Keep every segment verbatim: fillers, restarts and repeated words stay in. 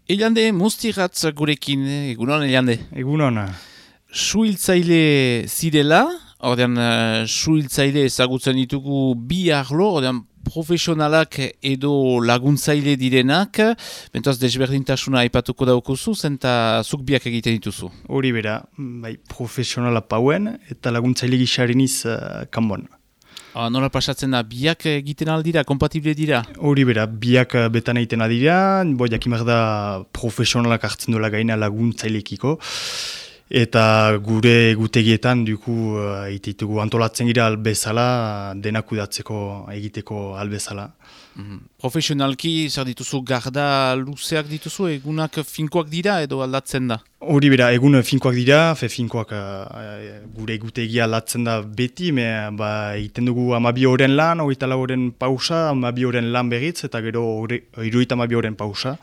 Eliande, mustiratz gurekin, egunon Eliande. Egunon. Suhiltzaile zirela, ordean uh, suhiltzaile ezagutzen ditugu bi arlo, ordean profesionalak edo laguntzaile direnak, bentoaz desberdintasuna aipatuko daukuzu, zenta zuk biak egiten dituzu. Hori bera, bai, profesionala pauen eta laguntzaile gixariniz uh, kanbon. Ah, nola pasatzen da, biak egiten aldira, kompatible dira? Hori bera, biak betan egiten adira, bo jakimak da profesionalak hartzen dola gaina laguntzailekiko. Eta gure egutegietan duku uh, ititugu antolatzen gira albezala, denak udatzeko egiteko albezala. Mm-hmm. Profesionalki, zer dituzu, garda luzeak dituzu, egunak finkoak dira edo aldatzen da? Hori bera, egun finkoak dira, fe finkoak uh, gure egutegia aldatzen da beti, me ba, egiten dugu amabi horren lan, hogeita lau horren pausa, amabi horren lan berriz, eta gero hirurogeita amabi horren pausa,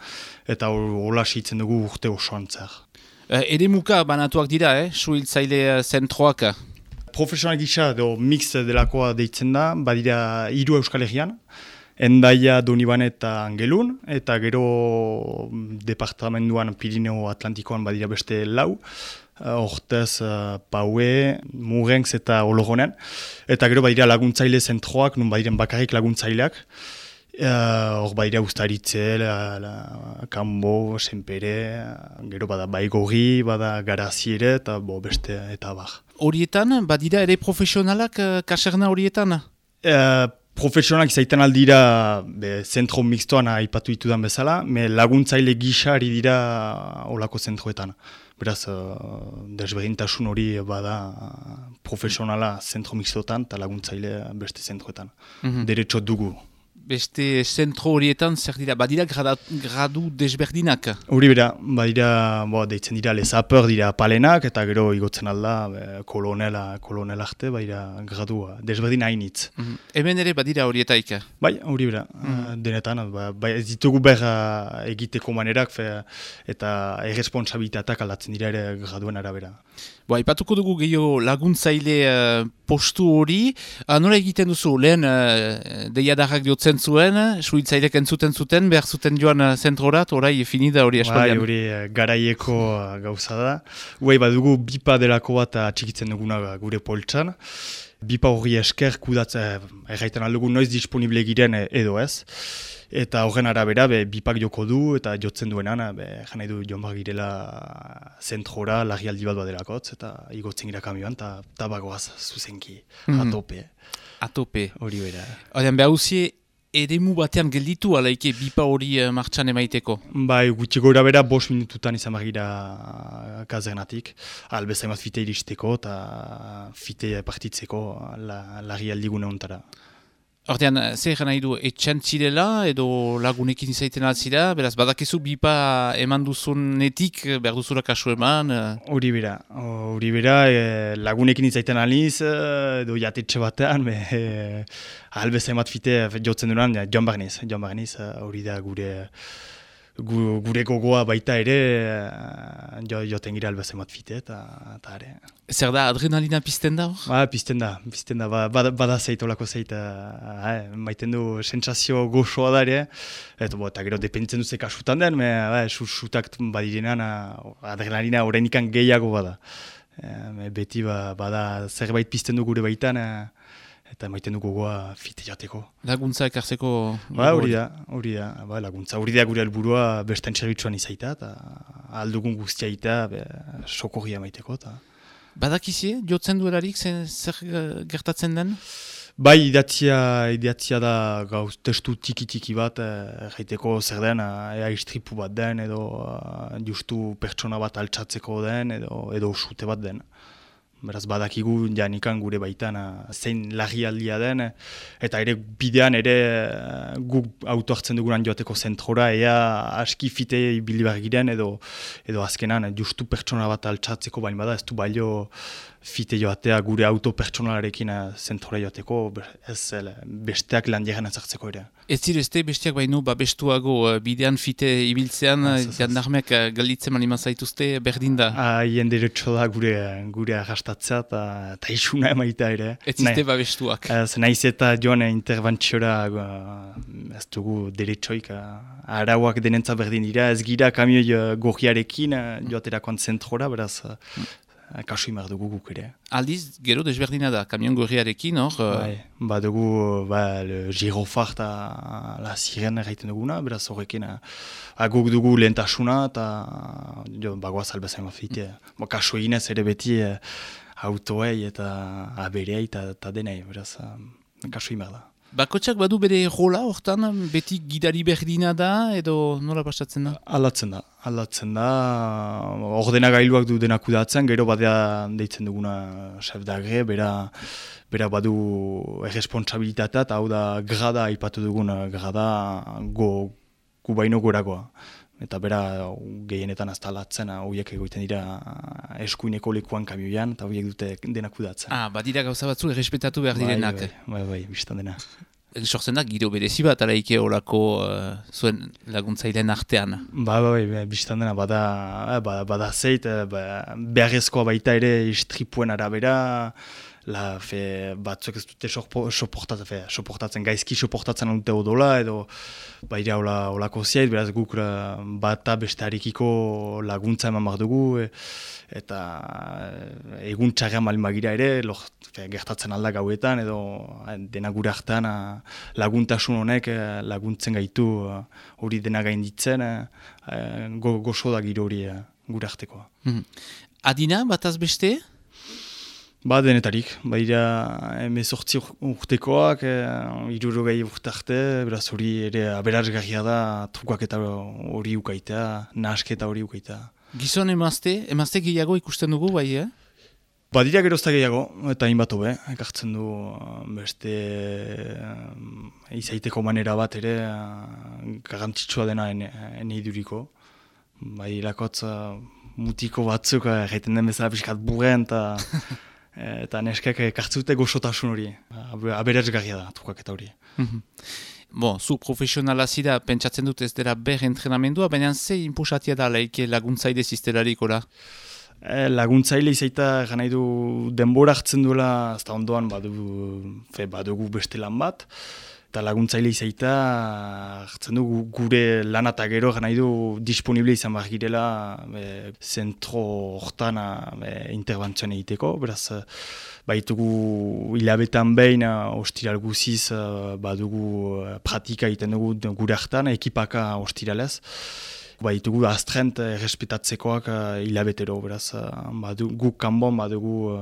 eta hola hitzen dugu urte osoan zer. Uh, ere muka banatuak dira, eh? Suhiltzaile zentroak? Profesional gisa edo mix delakoa deitzen da, badira hiru Euskal Herrian, Endaia, Donibane eta Angelun, eta gero departamentuan Pirineo Atlantikoan badira beste lau, hortez uh, Paue, Murenz eta Ologonen, eta gero badira laguntzaile zentroak, nun badiren bakarrik laguntzaileak, hor uh, badira Uztaritze, la, la, Kambo, Senpere, gero bada Baigorri, bada Garazi ere, eta bo, beste eta bar. Horietan, badira ere profesionalak uh, kaserna horietan? Uh, Profesionalak izaiten aldira be, zentro mixtoan aipatu ditudan bezala, me laguntzaile gisa ari dira olako zentroetan. Beraz, uh, desberdintasun hori bada profesionala zentro mixtotan eta laguntzaile beste zentroetan. Mm-hmm. Derecho dugu. Beste zentro horietan zer dira, badira grada, gradu desberdinak? Hori bera, badira, bo, deitzen dira lezaper dira palenak, eta gero igotzen alda, be, kolonela, kolonel arte, badira gradu desberdin hainitz. Mm-hmm. Hemen ere badira horietaik? Bai, hori bera, mm-hmm. denetan, ba, ba, ez ditugu behar egiteko manerak, fe, eta erresponsabilitateak aldatzen dira ere graduen arabera. Bo, aipatuko dugu gehiago laguntzaile uh, postu hori. Uh, nola egiten duzu, lehen uh, deiadarrak diotzen zuen, suhiltzailek entzuten zuten, behar zuten joan uh, zentrorat, orai finida hori aspaldian. Bai, hori uh, garaieko uh, gauza da. Uai, badugu bipa delako bat atxikitzen duguna gure poltsan. Bipa hori esker kudatzen, erraiten aldugu noiz disponible giren edo ez. Eta horren arabera, be, bipak joko du eta jotzen duenan, jan nahi du joan behar girela zentrora, larrialdi bat badelakotz, eta igotzen gira kamioan, eta tabagoaz zuzenki, mm-hmm. atope. Atope. Hori bera. Horren, behar uzie, eremu batean gelditu alaike bipa hori uh, martxan emaiteko? Bai, gutxi gora bera, bos minututan izan behar gira kazernatik, albezaimat fite iristeko eta fite partitzeko la, larrialdi gune ontara. Hortean, zer nahi du, etxan zirela edo lagunekin izaiten altzira, beraz, badakizu bipa eman duzunetik, behar duzura kasu eman? Hori bera, hori bera, e, lagunekin izaiten aliz, edo jatetxe batean, be, e, albeza emat fite jotzen duran, joan barniz, joan barniz, hori da gure, gu, gure gogoa baita ere, jo, joten gira albeza emat fite, eta ere. Zer da, adrenalina pizten da hor? Ba, pizten da, pizten da, bada, bada zeit, olako zeit, eh, maiten du sentsazio gozoa da ere, eta, bo, eta gero dependitzen duze kasutan den, me, ba, sutak badirenan, adrenalina horrenikan gehiago bada. E, beti ba, bada zerbait pizten du gure baitan, e, eta maiten du gogoa fite jateko. Laguntza ekartzeko? Ba, hori da, hori da, ba, laguntza, hori da gure helburua besten zerbitzuan izaita, eta aldugun guztia ita, sokorria maiteko, eta... Badakizie, jotzen duelarik, zer gertatzen den? Bai, idatzia, idatzia da gauz testu tiki-tiki bat, erraiteko eh, zer den, ea istripu bat den, edo uh, justu pertsona bat altxatzeko den, edo, edo sute bat den. Beraz, badakigu janikan gure baitan zein larrialdia den, eta ere bidean ere guk auto hartzen dugunan joateko zentrora, ea aski fite ibili behar giren, edo, edo azkenan justu pertsona bat altxatzeko bain bada, ez du balio fite joatea gure auto pertsonalarekin zentrora joateko, ez besteak lan diaren ezartzeko ere. Ez zirezte besteak baino babestuago bidean fite ibiltzean, jandarmeak galditzen maniman zaituzte berdin da? Haien deretxo da gure, gure arrastak prestatzea eta isuna emaita ere. Ez ziste babestuak. Ez naiz eta joan interventziora ez dugu deretxoik arauak denentza berdin dira, ez gira kamioi gorriarekin joaterakoan zentrora, beraz kasu imar dugu guk ere. Aldiz, gero desberdina da, kamion gorriarekin, hor? Bai, ba dugu, ba, le girofar eta la sirena gaiten duguna, beraz horrekin, guk dugu lehentasuna eta bagoaz albezain mafite. Ba, kasu eginez ere beti autoei eta aberei eta denei, beraz, kasu imar da. Bakotxak badu bere rola hortan, beti gidari berdina da, edo nola pasatzen da? Aldatzen da, aldatzen da, ordenagailuak du denak udatzen, gero badea deitzen duguna chef d'agre, bera, bera badu erresponsabilitatea, eta hau da grada, aipatu dugun grada, go, gu baino goragoa. Eta bera gehienetan azta alatzen, horiek egoiten dira eskuineko lekuan kamioian, eta horiek dute denak udatzen. Ah, badira gauza batzu errespetatu behar direnak. Bai, bai, bai, biztan dena. Sortzen da, giro berezi bat araike horako uh, zuen laguntzaileen artean. Ba, ba, bai, biztan dena, bada, bada, bada zeit, beharrezkoa baita ere istripuen arabera, la, fe, batzuek ez dute soportatzen, soportatzen, gaizki soportatzen dute odola, edo baira olako ziait, beraz guk bata beste harikiko laguntza eman behar dugu, e, eta egun txarrean malin bagira ere, lor, fe, gertatzen alda gauetan, edo dena gure hartan laguntasun honek laguntzen gaitu hori dena gainditzen, go, gozo da giro hori gure hartekoa. Mm-hmm. Adina, bataz beste? Ba, denetarik, baira emezortzi urtekoak, hirurogei urte arte, beraz hori ere aberazgarria da, trukak eta hori ukaitea, nahasketa hori ukaitea. Gizon emazte, emazte gehiago ikusten dugu, bai, eh? Badira gerozta gehiago, eta hainbat hobe, ekartzen du beste um, izaiteko manera bat ere, garrantzitsua dena ene iduriko. Bai, lakotz mutiko batzuk, egiten den bezala pixkat burren, eta eta neskek kartzute gozotasun hori, aberazgarria da, trukak eta hori. Bon, zu profesionala zira, pentsatzen dut ez dela ber entrenamendua, baina ze inpusatia da laike laguntzaile ziztelarik, ora? E, laguntzaile izaita gana du denbora hartzen duela, ez da ondoan badugu, fe, badugu beste lan bat, eta laguntzaile izaita hartzen du gure lan eta gero gana du disponible izan behar girela e, zentro hortan interbentzioan egiteko, beraz baitugu hilabetan behin ostiral guziz badugu pratika egiten dugu gure hartan, ekipaka ostiralez. Baitugu astrent errespetatzekoak hilabetero, beraz badu, guk kanbon badugu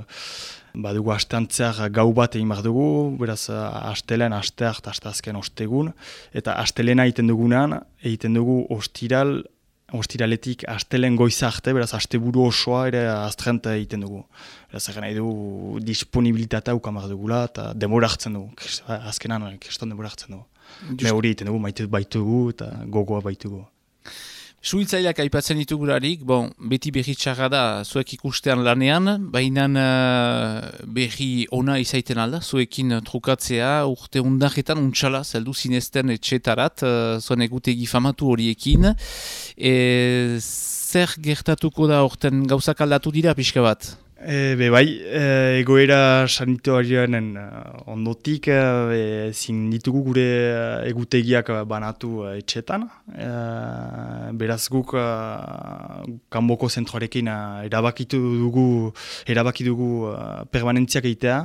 badugu asteantzeak gau bat egin behar dugu, beraz astelen, asteak eta asteazken ostegun, eta astelena egiten dugunean, egiten dugu ostiral, ostiraletik astelen goiza arte, beraz asteburu osoa ere astrent egiten dugu. Beraz egin nahi du disponibilitatea ukan behar dugula, eta demora hartzen dugu, azkenan kriston demora hartzen dugu. Me hori egiten dugu, maite baitugu eta gogoa baitugu. Suhiltzaileak aipatzen ditugularik, bon, beti berri txarra da zuek ikustean lanean, baina uh, berri ona izaiten alda, zuekin trukatzea urte undarretan untxala, zeldu zinezten etxetarat, uh, zuen egutegi famatu horiekin. E, zer gertatuko da orten gauzak aldatu dira pixka bat? E, be bai, e, egoera sanitoarioen ondotik e, zin ditugu gure egutegiak banatu etxetan. E, beraz guk e, kanboko zentroarekin erabakitu dugu, erabaki dugu permanentziak egitea,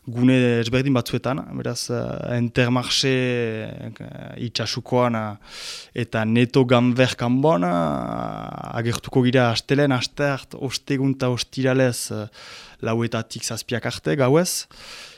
gune ezberdin batzuetan. Beraz, Intermarché itxasukoan eta Neto Gamber kanbon agertuko gira astelen, asteart, ostegun eta ostiralez lauetatik zazpiak arte gauez,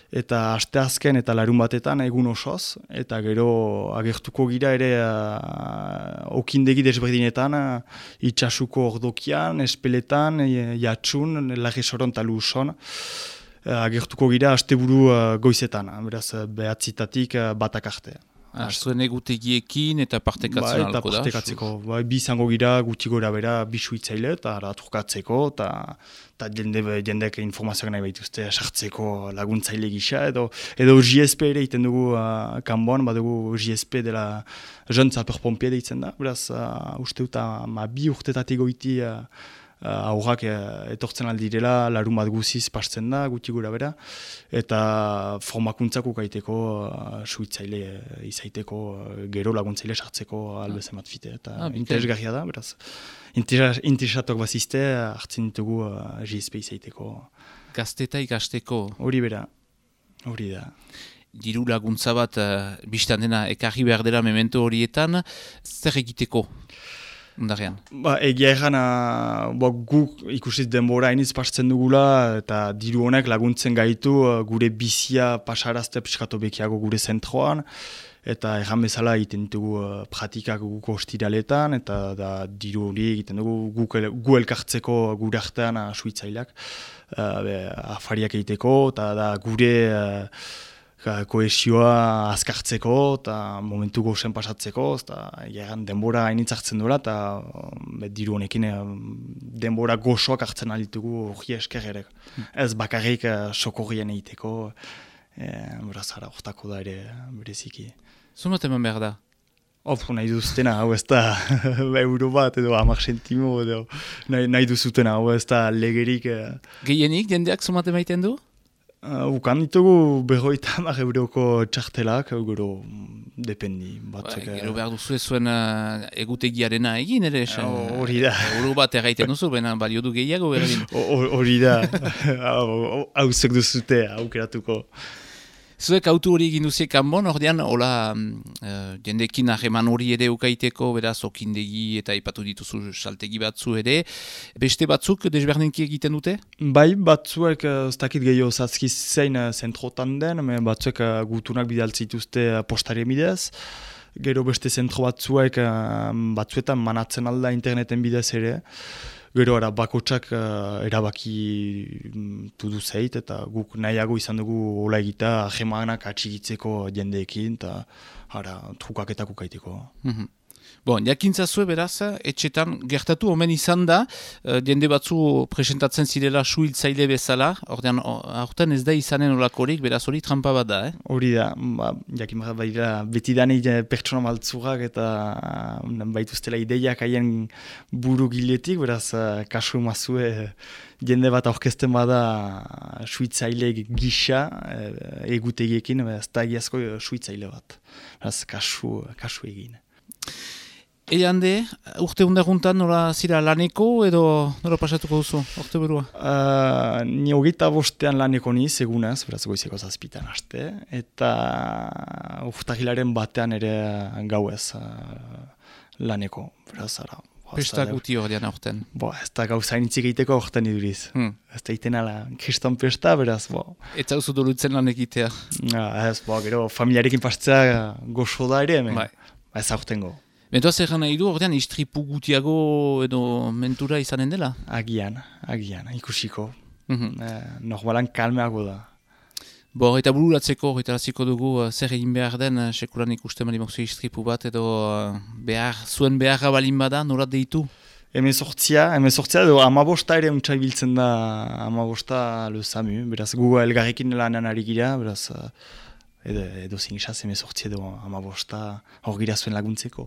eta asteazken eta larun batetan egun osoz, eta gero agertuko gira ere uh, okindegi desberdinetan, uh, itxasuko ordokian, espeletan, jatsun, Larresoron eta Luson, uh, agertuko gira asteburu uh, goizetan, beraz behatzitatik uh, batak arte. Ah, zuen egutegiekin eta partekatzen ba, eta alko da? partekatzeko. Ba, bi izango gira guti gora bera bi suitzaile eta trukatzeko eta jende, jendek informazioak nahi baituzte sartzeko laguntzaile gisa edo edo J S P ere iten dugu uh, kanboan, badugu J S P dela Jeune Sapeur Pompier deitzen da, beraz uh, uste dut ma bi urtetatik goiti uh, aurrak etortzen aldirela, larun bat guziz pasten da, guti gura bera, eta formakuntzako kaiteko, uh, suitzaile uh, izaiteko, uh, gero laguntzaile sartzeko albezen bat fite, eta ah, interesgarria da, beraz. Interesatok bazizte, hartzen ditugu uh, G S P izaiteko. Gazteta ikasteko. Hori bera, hori da. Diru laguntza bat, uh, biztan dena, ekarri behar dela memento horietan, zer egiteko? Undarrean. Ba, egia egan, ba, guk ikusiz denbora hainiz pasten dugula, eta diru honek laguntzen gaitu gure bizia pasarazte piskatu bekiago gure zentroan, eta erran bezala egiten ditugu uh, pratikak guko ostiraletan, eta da, diru hori egiten dugu guk el, gu elkartzeko gure artean uh, suitzaileak, uh, be, afariak egiteko, eta da gure uh, kohesioa azkartzeko eta momentu gozen pasatzeko, eta egan denbora hainitz hartzen duela, eta um, diru honekin um, denbora gozoak hartzen alditugu hori esker ere. Ez bakarrik uh, sokorrien egiteko, e, berazara hortako da ere bereziki. Zumat eman behar da? Of, nahi duzutena, hau ez da euro bat edo hamar sentimo edo nahi, nahi duzutena, hau ez da legerik. Uh... Gehienik jendeak zumat emaiten du? Uh, ukan ditugu berroita hamar euroko txartelak, gero dependi. Batzuk, ba, gero behar duzu zuen uh, egutegiarena egin ere esan. Hori da. Euro bat erraiten duzu, baina balio du gehiago berdin. Hori da. Hau zek duzute, aukeratuko. Zuek autu hori egin duziek kanbon, ordean, hola, uh, jendekin hageman hori ere ukaiteko, beraz, okindegi eta ipatu dituzu saltegi batzu ere. Beste batzuk desberdinki egiten dute? Bai, batzuek, ez dakit gehiago zazkiz zein zentrotan den, batzuek uh, gutunak bidaltzituzte uh, postari bidez. Gero beste zentro batzuek, uh, batzuetan manatzen alda interneten bidez ere. Gero ara bakotsak uh, erabaki tudu zeit, eta guk nahiago izan dugu hola egita ahemanak atxigitzeko jendeekin, eta ara trukaketak ukaiteko. Mm-hmm. Bon, jakintzazue beraz, etxetan gertatu omen izan da, uh, jende batzu presentatzen zirela suhiltzaile bezala, ordean, aurten ez da izanen olakorik, beraz hori trampa bat da, eh? Hori da, ba, jakin bat baira, beti dani pertsona maltzurak eta baituztela ideiak haien buru giletik, beraz, kasu mazue jende bat aurkezten bada suhiltzaile gisa, egutegiekin, ez da egiazko suhiltzaile bat. Beraz, kasu, kasu egin. Eande, urte hundaguntan nola zira laneko edo nola pasatuko duzu, urte burua? Uh, ni hogeita bostean laneko niz, egunez, beraz goizeko zazpitan haste, eta urtahilaren batean ere gauez uh, laneko, beraz ara. Pesta guti hor dian aurten? Bo, ez da gauza initzik egiteko aurten iduriz. Hmm. Ez da iten ala kriston pesta, beraz, bo. Ez hauzu dolutzen lan egitea? Ja, ez, bo, gero familiarekin pastzea goxo da ere, men. Bai. Ez aurtengo. Mentoaz egan nahi du, ordean, istripu gutiago edo mentura izanen dela? Agian, agian, ikusiko. Mm-hmm. Eh, normalan kalmeago da. Bo, eta bururatzeko, horretaraziko dugu, zer egin behar den, sekulan ikusten bali mokzu istripu bat, edo behar, zuen beharra balin bada, norat deitu? Hemezortzia, hemezortzia edo amabosta ere untsa biltzen da, amabosta lezamu, beraz gu elgarrekin lanan ari gira, beraz edo, edo zingisaz hemezortzia edo amabosta hor gira zuen laguntzeko.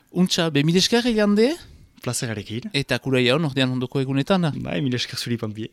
Untsa, be mileskar egin de? Plazerarekin. Eta kuraia hon, ordean ondoko egunetan? Bai, mileskar zuri panpie.